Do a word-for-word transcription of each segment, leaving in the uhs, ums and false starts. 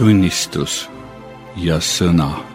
tunnistus ja sõna.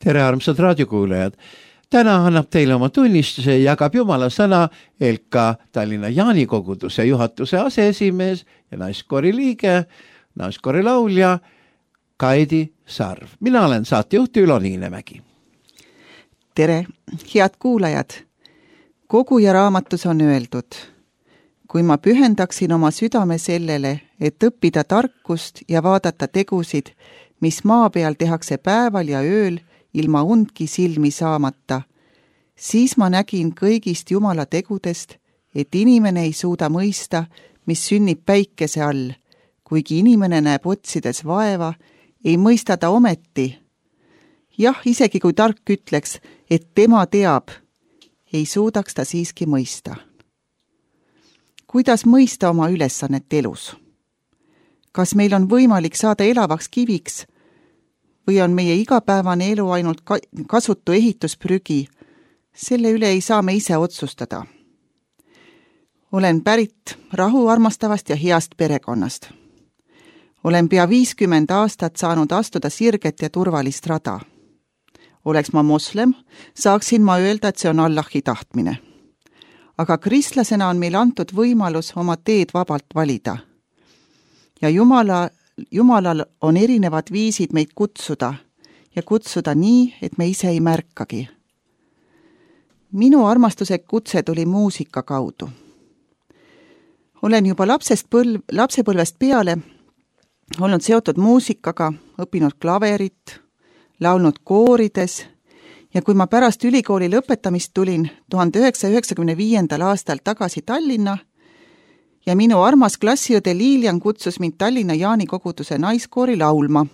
Tere, armsad raadiokuulajad! Täna annab teile oma tunnistuse ja jagab Jumala sõna Elka Tallinna Jaani koguduse juhatuse aseesimees ja naiskoori liige, naiskoori laulja Kaidi Sarv. Mina olen saatejuht Ülo Niinemägi. Tere, head kuulajad! Koguja raamatus on öeldud, kui ma pühendaksin oma südame sellele, et õppida tarkust ja vaadata tegusid, mis maa peal tehakse päeval ja ööl, ilma undki silmi saamata, siis ma nägin kõigist Jumala tegudest, et inimene ei suuda mõista, mis sünnib päikese all, kuigi inimene näeb otsides vaeva, ei mõista ta ometi. Jah, isegi kui tark ütleks, et tema teab, ei suudaks ta siiski mõista. Kuidas mõista oma ülesannet elus? Kas meil on võimalik saada elavaks kiviks, või on meie igapäevane elu ainult kasutu ehitusprügi, selle üle ei saa me ise otsustada. Olen pärit rahu armastavast ja heast perekonnast. Olen pea viiskümmend aastat saanud astuda sirget ja turvalist rada. Oleks ma moslem, saaksin ma öelda, et see on Allahi tahtmine. Aga kristlasena on meil antud võimalus oma teed vabalt valida. Ja Jumala Jumalal on erinevad viisid meid kutsuda ja kutsuda nii, et me ise ei märkagi. Minu armastuse kutse tuli muusika kaudu. Olen juba lapsest põlv, lapsepõlvest peale olnud seotud muusikaga, õppinud klaverit, laulnud koorides ja kui ma pärast ülikooli lõpetamist tulin tuhande üheksasaja üheksakümne viiendal aastal tagasi Tallinna, ja minu armas klassiõde Liilian kutsus mind Tallinna Jaani koguduse naiskoori laulma.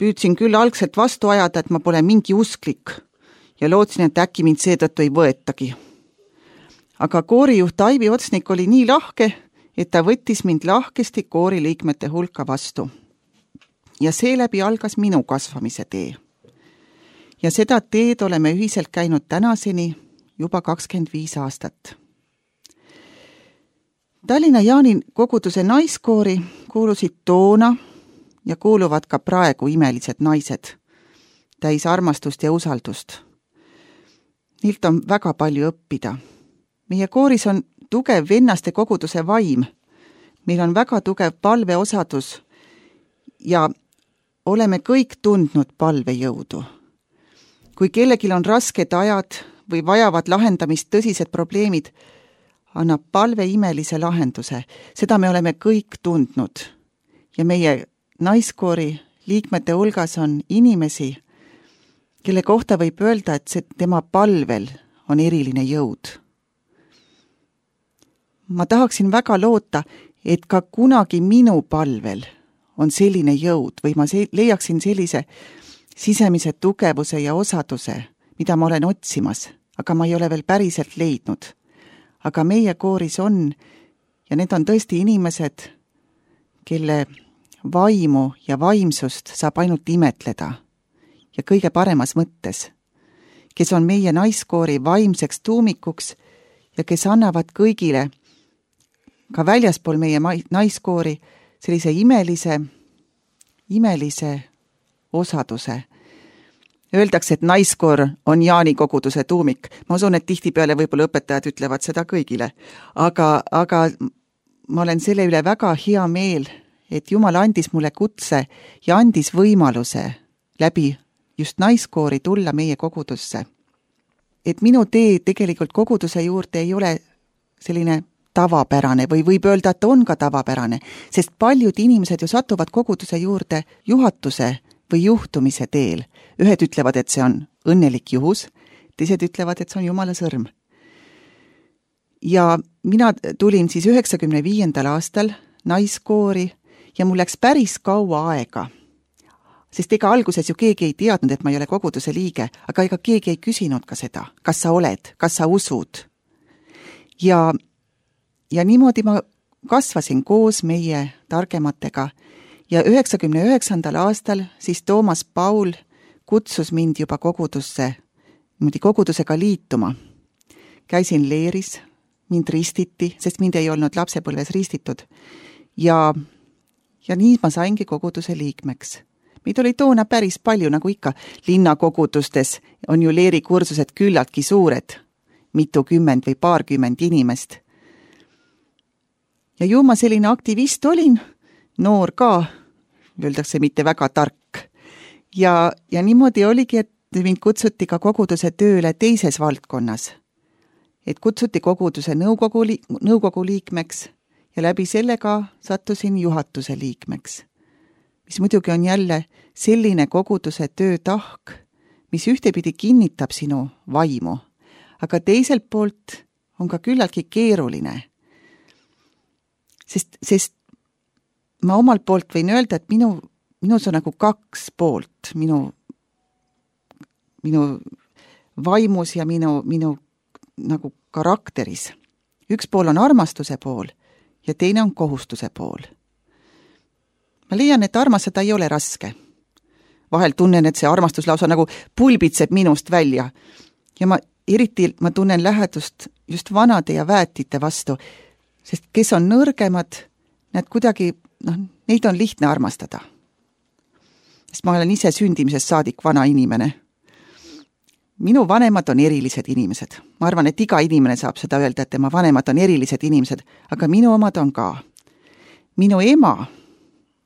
Püüdsin küll algselt vastu ajada, et ma pole mingi usklik ja lootsin, et äkki mind seetõttu ei võetagi. Aga koorijuht Aivi Otsnik oli nii lahke, et ta võttis mind lahkesti koori liikmete hulka vastu. Ja seeläbi algas minu kasvamise tee. Ja seda teed oleme ühiselt käinud tänaseni juba kakskümmend viis aastat. Tallinna Jaani koguduse naiskoori kuulusid toona ja kuuluvad ka praegu imelised naised, täis armastust ja usaldust. Niilt on väga palju õppida. Meie kooris on tugev vennaste koguduse vaim. Meil on väga tugev palveosadus ja oleme kõik tundnud palvejõudu. Kui kellelgi on rasked ajad või vajavad lahendamist tõsised probleemid, annab palve imelise lahenduse. Seda me oleme kõik tundnud. Ja meie naiskoori liikmete hulgas on inimesi, kelle kohta võib öelda, et see tema palvel on eriline jõud. Ma tahaksin väga loota, et ka kunagi minu palvel on selline jõud või ma leiaksin sellise sisemise tugevuse ja osaduse, mida ma olen otsimas, aga ma ei ole veel päriselt leidnud. Aga meie kooris on, ja need on tõesti inimesed, kelle vaimu ja vaimsust saab ainult imetleda ja kõige paremas mõttes, kes on meie naiskoori vaimseks tuumikuks ja kes annavad kõigile, ka väljaspool meie naiskoori, sellise imelise, imelise osaduse. Öeldakse, et naiskoor on Jaani koguduse tuumik. Ma usun, et tihtipeale võib-olla õpetajad ütlevad seda kõigile. Aga, aga ma olen selle üle väga hea meel, et Jumal andis mulle kutse ja andis võimaluse läbi just naiskoori tulla meie kogudusse. Et minu tee tegelikult koguduse juurde ei ole selline tavapärane või võib öelda, et on ka tavapärane, sest paljud inimesed ju satuvad koguduse juurde juhatuse või juhtumise teel. Ühed ütlevad, et see on õnnelik juhus, teised ütlevad, et see on Jumala sõrm. Ja mina tulin siis üheksakümne viiendal aastal naiskoori ja mul läks päris kaua aega. Sest ega alguses ju keegi ei teadnud, et ma ei ole koguduse liige, aga ega keegi ei küsinud ka seda, kas sa oled, kas sa usud. Ja, ja niimoodi ma kasvasin koos meie targematega ja üheksakümne üheksandal aastal siis Toomas Paul kutsus mind juba kogudusse, niimoodi kogudusega liituma. Käisin leeris, mind ristiti, sest mind ei olnud lapsepõlves ristitud ja, ja nii ma saingi koguduse liikmeks. Meid oli toona päris palju, nagu ikka linnakogudustes on ju leerikursused küllaltki suured, mitukümmend või paarkümmend inimest. Ja ju ma selline aktivist olin, noor ka, öeldakse mitte väga tark. Ja, ja niimoodi oligi, et mind kutsuti ka koguduse tööle teises valdkonnas. Et kutsuti koguduse nõukogu, li- nõukogu liikmeks ja läbi sellega sattusin juhatuse liikmeks. Mis muidugi on jälle selline koguduse töötahk, mis ühtepidi kinnitab sinu vaimu, aga teiselt poolt on ka küllaltki keeruline. Sest, sest ma omalt poolt võin öelda, et minu, minus on nagu kaks poolt, minu, minu vaimus ja minu, minu nagu karakteris. Üks pool on armastuse pool ja teine on kohustuse pool. Ma leian, et armastada ei ole raske. Vahel tunnen, et see armastus lausa nagu pulbitseb minust välja. Ja ma eriti ma tunnen lähedust just vanade ja väetite vastu, sest kes on nõrgemad, need kuidagi, noh, neid on lihtne armastada. Sest ma olen ise sündimisest saadik vana inimene. Minu vanemad on erilised inimesed. Ma arvan, et iga inimene saab seda öelda, et tema vanemad on erilised inimesed, aga minu omad on ka. Minu ema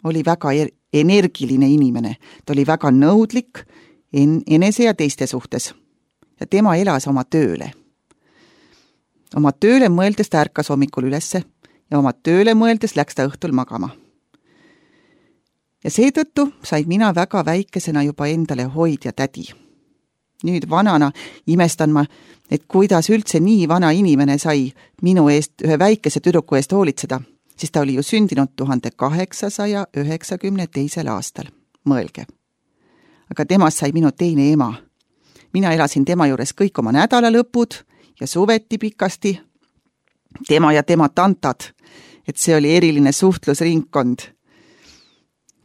oli väga er- energiline inimene. Ta oli väga nõudlik en- enese ja teiste suhtes. Ja tema elas oma tööle. Oma tööle mõeldes ta ärkas hommikul ülesse ja oma tööle mõeldes läks ta õhtul magama. Ja seetõttu sain mina väga väikesena juba endale hoid ja tädi. Nüüd vanana imestan ma, et kuidas üldse nii vana inimene sai minu eest ühe väikese tüdruku eest hoolitseda, siis ta oli ju sündinud tuhande kaheksasaja üheksakümne teisel aastal. Mõelge. Aga temast sai minu teine ema. Mina elasin tema juures kõik oma nädalalõpud ja suveti pikasti. Tema ja tema tantad, et see oli eriline suhtlusringkond,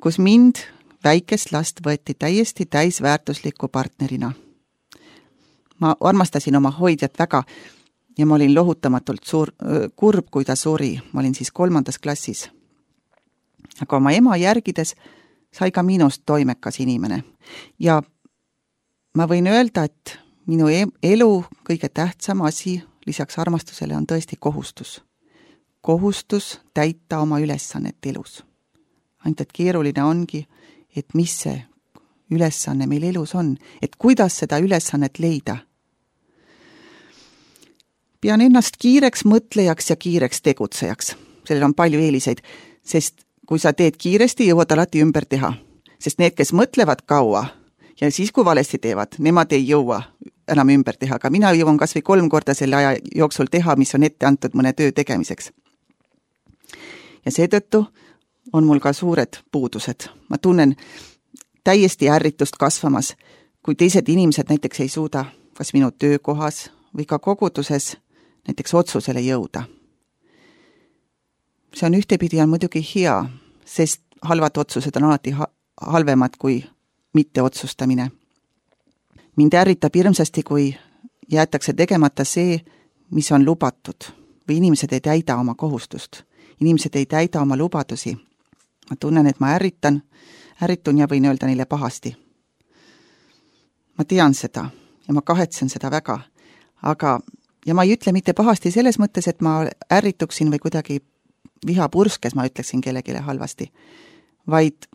kus mind, väikest last, võeti täiesti täisväärtusliku partnerina. Ma armastasin oma hoidjat väga ja ma olin lohutamatult suur, kurb, kui ta suri. Ma olin siis kolmandas klassis. Aga oma ema järgides sai ka minust toimekas inimene. Ja ma võin öelda, et minu elu kõige tähtsam asi lisaks armastusele on tõesti kohustus. Kohustus täita oma ülesannet elus. Ainult, et keeruline ongi, et mis see ülesanne meil elus on, et kuidas seda ülesannet leida. Pean ennast kiireks mõtlejaks ja kiireks tegutsejaks. Sellel on palju eeliseid, sest kui sa teed kiiresti, jõuad alati ümber teha. Sest need, kes mõtlevad kaua ja siis, kui valesti teevad, nemad ei jõua enam ümber teha, aga mina jõuan kas või kolm korda selle aja jooksul teha, mis on ette antud mõne töö tegemiseks. Ja seetõttu on mul ka suured puudused. Ma tunnen täiesti ärritust kasvamas, kui teised inimesed näiteks ei suuda kas minu töökohas või ka koguduses näiteks otsusele jõuda. See on ühtepidi on muidugi hea, sest halvad otsused on alati ha- halvemad kui mitte otsustamine. Mind ärritab hirmsasti, kui jäetakse tegemata see, mis on lubatud, või inimesed ei täida oma kohustust. Inimesed ei täida oma lubadusi. Ma tunnen, et ma ärritan, ärritun ja võin öelda neile pahasti. Ma tean seda ja ma kahetsen seda väga, aga ja ma ei ütle mitte pahasti selles mõttes, et ma ärrituksin või kuidagi vihapurskes, ma ütleksin kellegile halvasti, vaid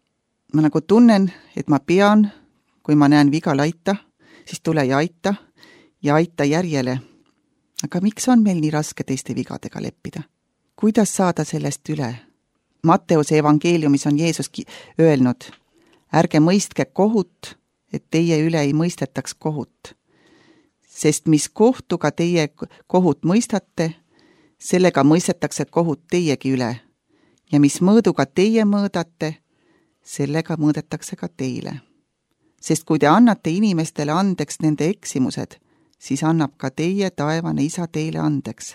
ma nagu tunnen, et ma pean, kui ma näen viga laita, siis tule ja aita ja aita järjele. Aga miks on meil nii raske teiste vigadega leppida? Kuidas saada sellest üle? Matteuse evangeeliumis on Jeesus öelnud, ärge mõistke kohut, et teie üle ei mõistetaks kohut. Sest mis kohtuga teie kohut mõistate, sellega mõistetakse kohut teiegi üle. Ja mis mõõduga teie mõõdate, sellega mõõdetakse ka teile. Sest kui te annate inimestele andeks nende eksimused, siis annab ka teie taevane isa teile andeks.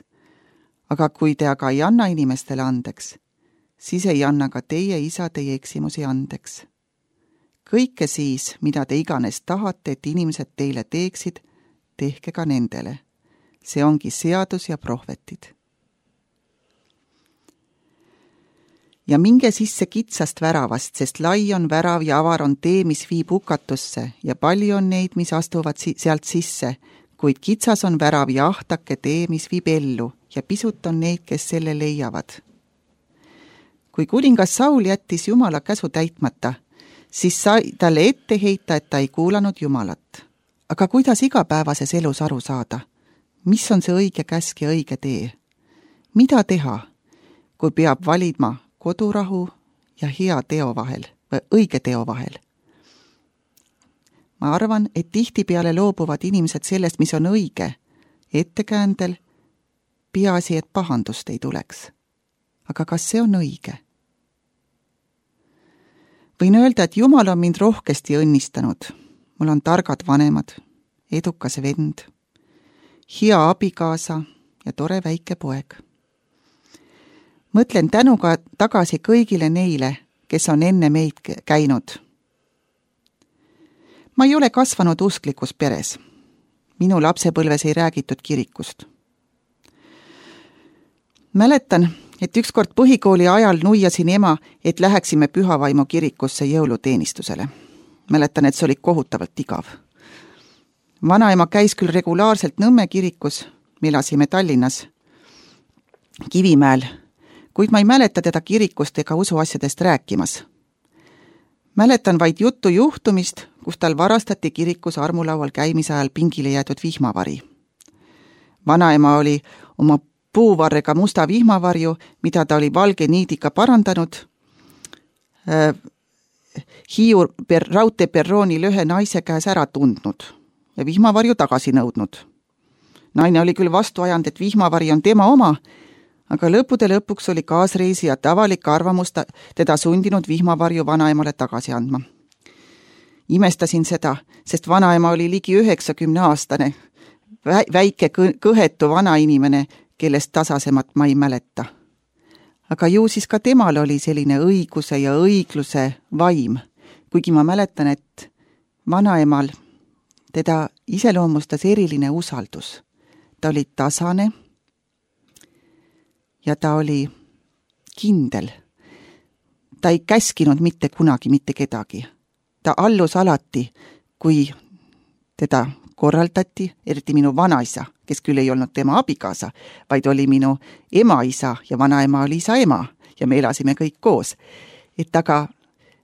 Aga kui te aga ei anna inimestele andeks, siis ei anna ka teie isa teie eksimusi andeks. Kõike siis, mida te iganes tahate, et inimesed teile teeksid, tehke ka nendele. See ongi seadus ja prohvetid. Ja minge sisse kitsast väravast, sest lai on värav ja avar on tee, mis viib hukatusse ja palju on neid, mis astuvad si- sealt sisse, kuid kitsas on värav ja ahtake tee, mis viib ellu ja pisut on neid, kes selle leiavad. Kui kuningas Saul jättis Jumala käsu täitmata, siis sai talle ette heita, et ta ei kuulanud Jumalat. Aga kuidas igapäevases elus aru saada? Mis on see õige käsk ja õige tee? Mida teha, kui peab valima kodurahu ja hea teo vahel või õige teo vahel? Ma arvan, et tihtipeale loobuvad inimesed sellest, mis on õige, ettekäändel, peaasi, et pahandust ei tuleks. Aga kas see on õige? Võin öelda, et Jumal on mind rohkesti õnnistanud. Mul on targad vanemad, edukas vend, hea abikaasa ja tore väike poeg. Mõtlen tänuga tagasi kõigile neile, kes on enne meid käinud. Ma ei ole kasvanud usklikus peres. Minu lapsepõlves ei räägitud kirikust. Mäletan, et ükskord põhikooli ajal nuiasin ema, et läheksime Pühavaimu kirikusse jõuluteenistusele. Mäletan, et see oli kohutavalt igav. Vanaema käis küll regulaarselt Nõmme kirikus, me elasime Tallinnas, Kivimäel, kuid ma ei mäleta teda kirikust ega usuasjadest rääkimas. Mäletan vaid juttu juhtumist, kus tal varastati kirikus armulaual käimise ajal pingile jäetud vihmavari. Vanaema oli oma puuvarrega musta vihmavarju, mida ta oli valge niidiga parandanud, äh, Hiiu per, raudteeperroonil ühe naise käes ära tundnud ja vihmavarju tagasi nõudnud. Naine oli küll vastu ajanud, et vihmavari on tema oma, aga lõppude lõpuks oli kaasreisijate avalik arvamus teda sundinud vihmavarju vanaemale tagasi andma. Imestasin seda, sest vanaema oli ligi üheksakümne aastane, väike kõhetu vanainimene, kellest tasasemat ma ei mäleta. Aga ju siis ka temal oli selline õiguse ja õigluse vaim, kuigi ma mäletan, et vanaemal teda iseloomustas eriline usaldus. Ta oli tasane ja ta oli kindel. Ta ei käskinud mitte kunagi mitte kedagi. Ta allus alati, kui teda korraldati, eriti minu vanaisa, kes küll ei olnud tema abikaasa, vaid oli minu emaisa ja vanaema oli isa ema ja me elasime kõik koos. Et aga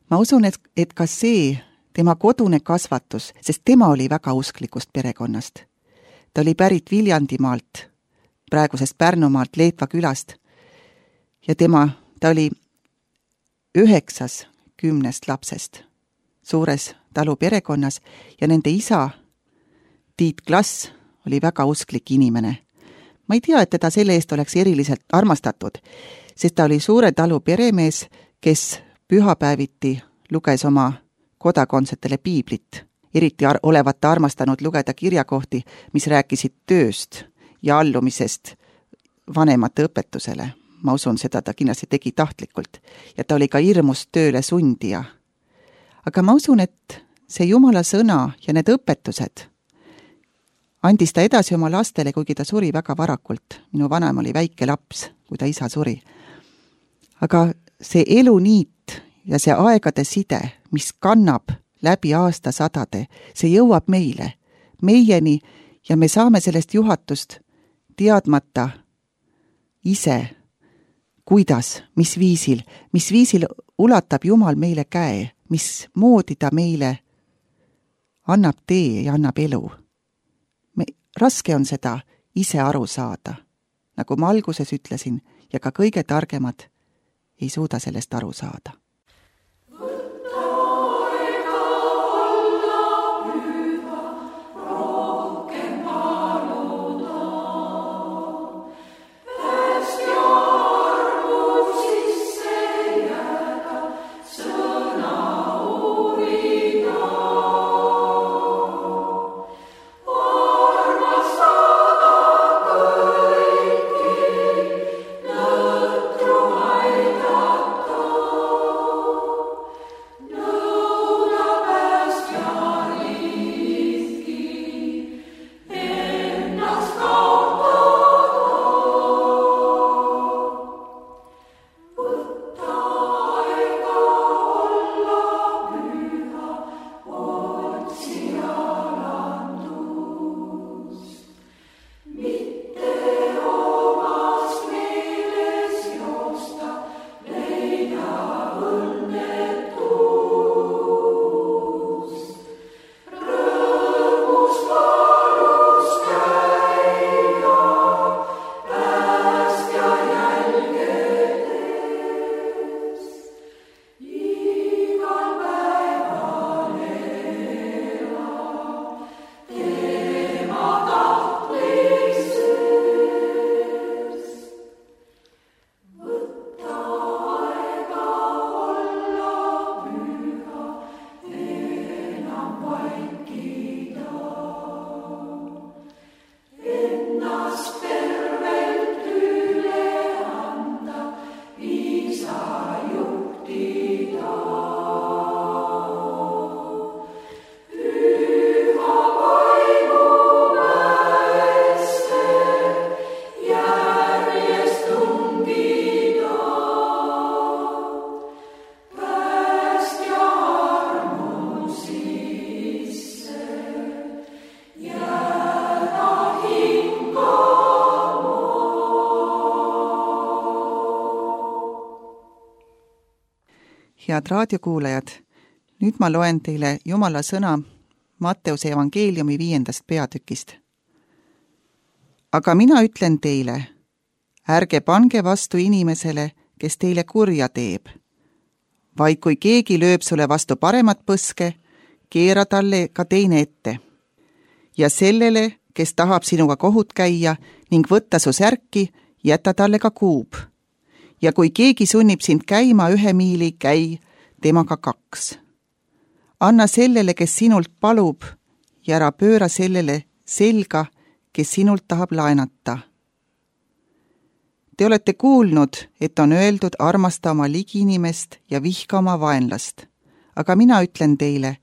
ma usun, et, et ka see tema kodune kasvatus, sest tema oli väga usklikust perekonnast. Ta oli pärit Viljandimaalt, praegusest Pärnumaalt, Leetva külast ja tema, ta oli üheksas kümnest lapsest suures talu perekonnas ja nende isa Tiit Klass oli väga usklik inimene. Ma ei tea, et teda selle eest oleks eriliselt armastatud, sest ta oli suure talu peremees, kes pühapäeviti luges oma kodakondsetele piiblit. Eriti ar- olevat ta armastanud lugeda kirjakohti, mis rääkisid tööst ja allumisest vanemate õpetusele. Ma usun, seda ta kindlasti tegi tahtlikult ja ta oli ka hirmus tööle sundija. Aga ma usun, et see Jumala sõna ja need õpetused andis ta edasi oma lastele, kuigi ta suri väga varakult. Minu vanaema oli väike laps, kui ta isa suri. Aga see eluniit ja see aegade side, mis kannab läbi aastasadade, see jõuab meile, meieni ja me saame sellest juhatust teadmata ise, kuidas, mis viisil, mis viisil ulatab Jumal meile käe, mis moodi ta meile annab tee ja annab elu. Me, raske on seda ise aru saada, nagu ma alguses ütlesin, ja ka kõige targemad ei suuda sellest aru saada. Võta head raadiokuulajad, nüüd ma loen teile Jumala sõna Matteuse evangeeliumi viiendast peatükist. Aga mina ütlen teile, ärge pange vastu inimesele, kes teile kurja teeb, vaid kui keegi lööb sulle vastu paremat põske, keera talle ka teine ette. Ja sellele, kes tahab sinuga kohut käia ning võtta su särki, jäta talle ka kuub. Ja kui keegi sunnib sind käima ühe miili, käi temaga kaks. Anna sellele, kes sinult palub, ja ära pööra sellele selga, kes sinult tahab laenata. Te olete kuulnud, et on öeldud armasta oma ligiinimest ja vihka oma vaenlast. Aga mina ütlen teile,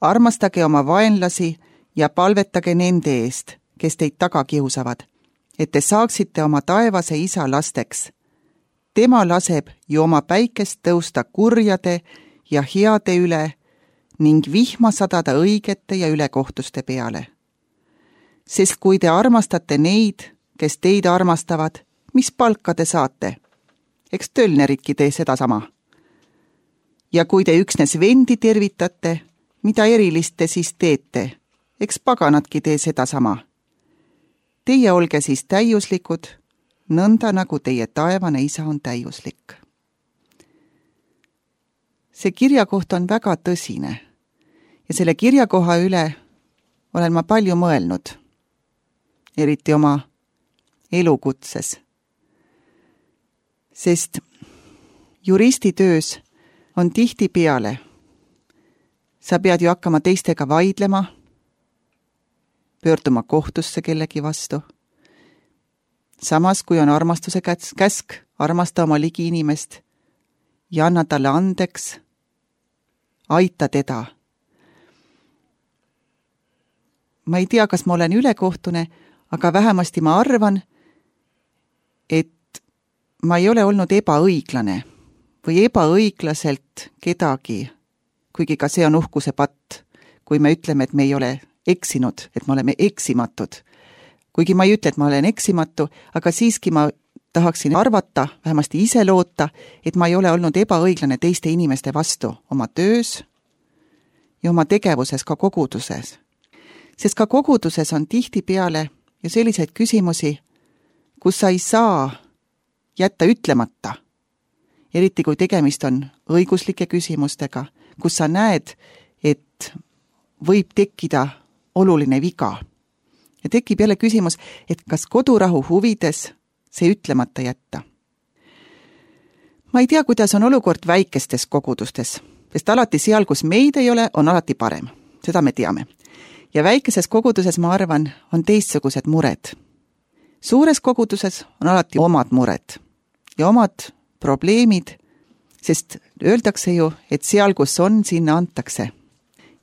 armastage oma vaenlasi ja palvetage nende eest, kes teid taga kiusavad, et te saaksite oma taevase isa lasteks. Tema laseb ju oma päikest tõusta kurjade ja heade üle ning vihma sadada õigete ja ülekohtuste peale. Sest kui te armastate neid, kes teid armastavad, mis palka te saate? Eks tölneridki tee seda sama. Ja kui te üksnes vendi tervitate, mida erilist te siis teete? Eks paganatki tee seda sama. Teie olge siis täiuslikud, nõnda nagu teie taevane isa on täiuslik. See kirjakoht on väga tõsine ja selle kirjakoha üle olen ma palju mõelnud, eriti oma elukutses. Sest juristitöös on tihti peale. Sa pead ju hakkama teistega vaidlema, pöörduma kohtusse kellegi vastu. Samas, kui on armastuse käsk, armasta oma ligi inimest ja anna talle andeks, aita teda. Ma ei tea, kas ma olen ülekohtune, aga vähemasti ma arvan, et ma ei ole olnud ebaõiglane või ebaõiglaselt kedagi, kuigi ka see on uhkuse patt, kui me ütleme, et me ei ole eksinud, et me oleme eksimatud. Kuigi ma ei ütle, et ma olen eksimatu, aga siiski ma tahaksin arvata, vähemasti ise loota, et ma ei ole olnud ebaõiglane teiste inimeste vastu oma töös ja oma tegevuses ka koguduses. Sest ka koguduses on tihti peale ju selliseid küsimusi, kus sa ei saa jätta ütlemata. Eriti kui tegemist on õiguslike küsimustega, kus sa näed, et võib tekkida oluline viga. Ja tekib jälle küsimus, et kas kodurahu huvides see ütlemata jätta. Ma ei tea, kuidas on olukord väikestes kogudustes, sest alati seal, kus meid ei ole, on alati parem. Seda me teame. Ja väikeses koguduses, ma arvan, on teistsugused mured. Suures koguduses on alati omad mured ja omad probleemid, sest öeldakse ju, et seal, kus on, sinna antakse.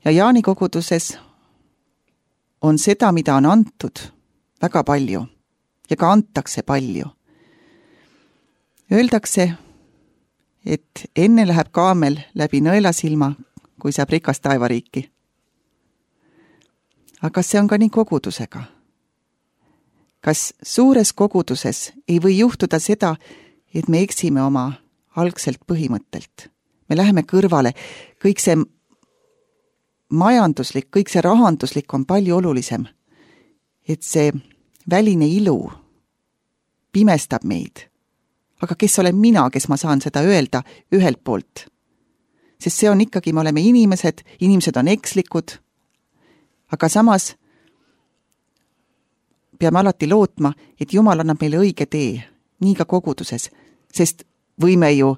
Ja Jaani koguduses on seda, mida on antud väga palju ja ka antakse palju. Öeldakse, et enne läheb kaamel läbi nõelasilma, kui saab rikas taevariiki. Aga see on ka nii kogudusega. Kas suures koguduses ei või juhtuda seda, et me eksime oma algselt põhimõttelt? Me läheme kõrvale, kõik see majanduslik, kõik see rahanduslik on palju olulisem. Et see väline ilu pimestab meid. Aga kes olen mina, kes ma saan seda öelda ühelt poolt? Sest see on ikkagi, me oleme inimesed, inimesed on ekslikud, aga samas peame alati lootma, et Jumal annab meile õige tee, nii ka koguduses, sest võime ju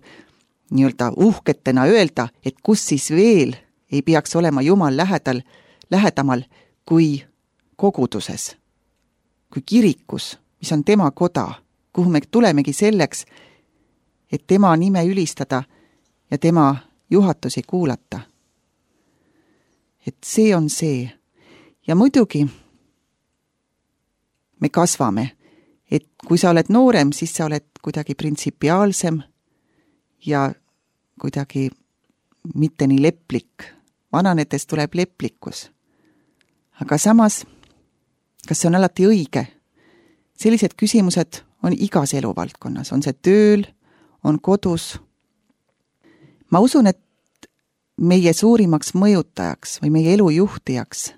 nii-öelda uhketena öelda, et kus siis veel ei peaks olema Jumal lähedal, lähedamal kui koguduses, kui kirikus, mis on tema koda, kuhu me tulemegi selleks, et tema nime ülistada ja tema juhatusi kuulata. Et see on see. Ja muidugi me kasvame, et kui sa oled noorem, siis sa oled kuidagi printsipiaalsem ja kuidagi mitte nii leplik. Vananedes tuleb leplikkus. Aga samas, kas see on alati õige? Sellised küsimused on igas eluvaldkonnas, on see tööl, on kodus. Ma usun, et meie suurimaks mõjutajaks või meie elu juhtijaks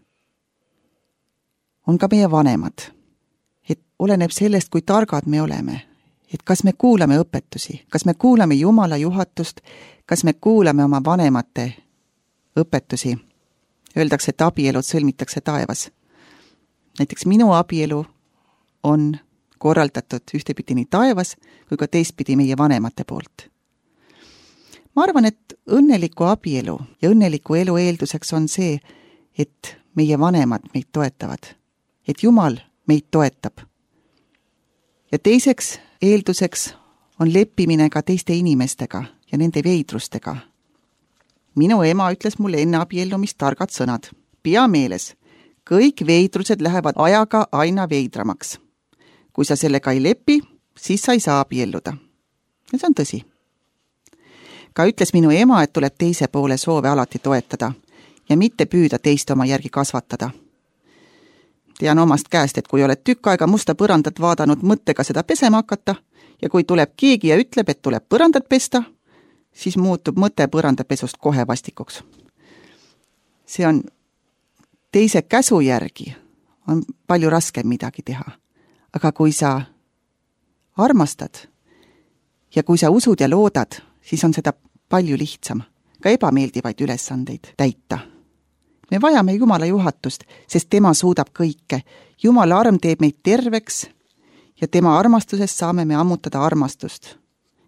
on ka meie vanemad. Et oleneb sellest, kui targad me oleme. Et kas me kuulame õpetusi, kas me kuulame Jumala juhatust, kas me kuulame oma vanemate õpetusi. Öeldakse, et abielud sõlmitakse taevas. Näiteks minu abielu on korraldatud ühtepidi nii taevas kui ka teistpidi meie vanemate poolt. Ma arvan, et õnneliku abielu ja õnneliku elu eelduseks on see, et meie vanemad meid toetavad, et Jumal meid toetab. Ja teiseks eelduseks on leppimine ka teiste inimestega ja nende veidrustega. Minu ema ütles mulle enne abiellumist targad sõnad. Pea meeles, kõik veidrused lähevad ajaga aina veidramaks. Kui sa sellega ei lepi, siis sa ei saa abielluda. Ja see on tõsi. Ka ütles minu ema, et tuleb teise poole soove alati toetada ja mitte püüda teist oma järgi kasvatada. Tean omast käest, et kui oled tükk aega musta põrandat vaadanud mõttega seda pesema hakata ja kui tuleb keegi ja ütleb, et tuleb põrandat pesta, siis muutub mõte põrandapesust kohe vastikuks. See on teise käsu järgi on palju raskem midagi teha. Aga kui sa armastad ja kui sa usud ja loodad, siis on seda palju lihtsam, ka ebameeldivaid ülesandeid täita. Me vajame Jumala juhatust, sest tema suudab kõike. Jumala arm teeb meid terveks ja tema armastusest saame me ammutada armastust,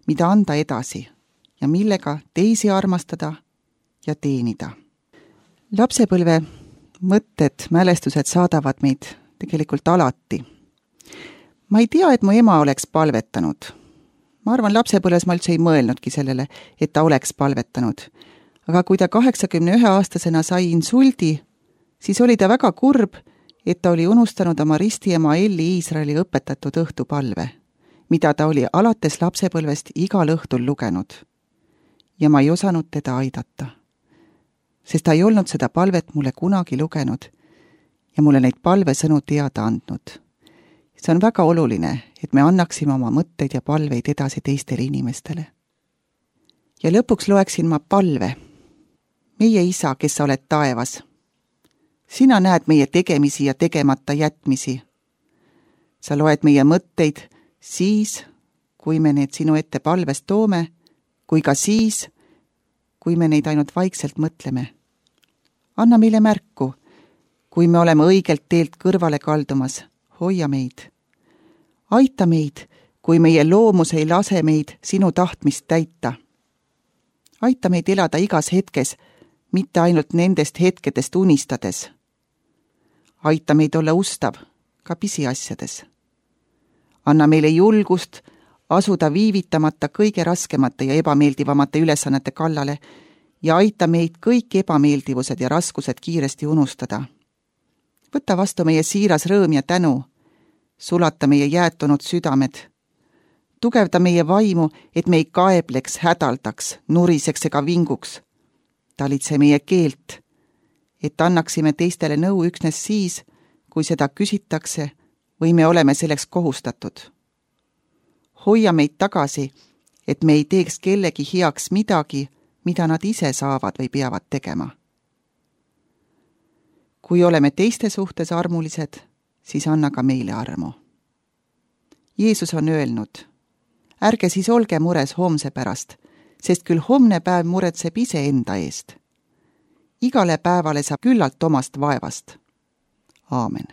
mida anda edasi ja millega teisi armastada ja teenida. Lapsepõlve mõtted, mälestused saadavad meid tegelikult alati. Ma ei tea, et mu ema oleks palvetanud. Ma arvan, lapsepõlves ma üldse ei mõelnudki sellele, et ta oleks palvetanud. Aga kui ta kaheksakümne ühe aastasena sai insuldi, siis oli ta väga kurb, et ta oli unustanud oma ristiema Elli Iisraeli õpetatud õhtupalve, mida ta oli alates lapsepõlvest igal õhtul lugenud. Ja ma ei osanud teda aidata, sest ta ei olnud seda palvet mulle kunagi lugenud ja mulle neid palvesõnu teada andnud. See on väga oluline, et me annaksime oma mõtteid ja palveid edasi teistele inimestele. Ja lõpuks loeksin ma palve. Meie isa, kes sa oled taevas. Sina näed meie tegemisi ja tegemata jätmisi. Sa loed meie mõtteid siis, kui me need sinu ette palves toome, kui ka siis, kui me neid ainult vaikselt mõtleme. Anna meile märku, kui me oleme õigelt teelt kõrvale kaldumas, hoia meid. Aita meid, kui meie loomus ei lase meid sinu tahtmist täita. Aita meid elada igas hetkes, mitte ainult nendest hetkedest unistades. Aita meid olla ustav ka pisiasjades. Anna meile julgust asuda viivitamata kõige raskemate ja ebameeldivamate ülesannete kallale ja aita meid kõik ebameeldivused ja raskused kiiresti unustada. Võta vastu meie siiras rõõm ja tänu, sulata meie jäätunud südamed, tugevda meie vaimu, et me ei kaebleks, hädaldaks, nuriseks ega vinguks. Talitse meie keelt, et annaksime teistele nõu üksnes siis, kui seda küsitakse või me oleme selleks kohustatud. Hoia meid tagasi, et me ei teeks kellegi heaks midagi, mida nad ise saavad või peavad tegema. Kui oleme teiste suhtes armulised, siis anna ka meile armu. Jeesus on öelnud, ärge siis olge mures homse pärast, sest küll homne päev muretseb ise enda eest. Igale päevale saab küllalt omast vaevast. Aamen.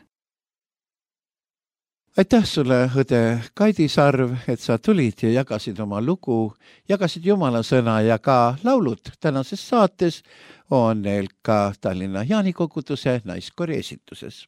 Aitäh sulle, õde Kaidi Sarv, et sa tulid ja jagasid oma lugu, jagasid Jumala sõna ja ka laulud. Tänases saates on neil ka Tallinna Jaani koguduse naiskoori esituses.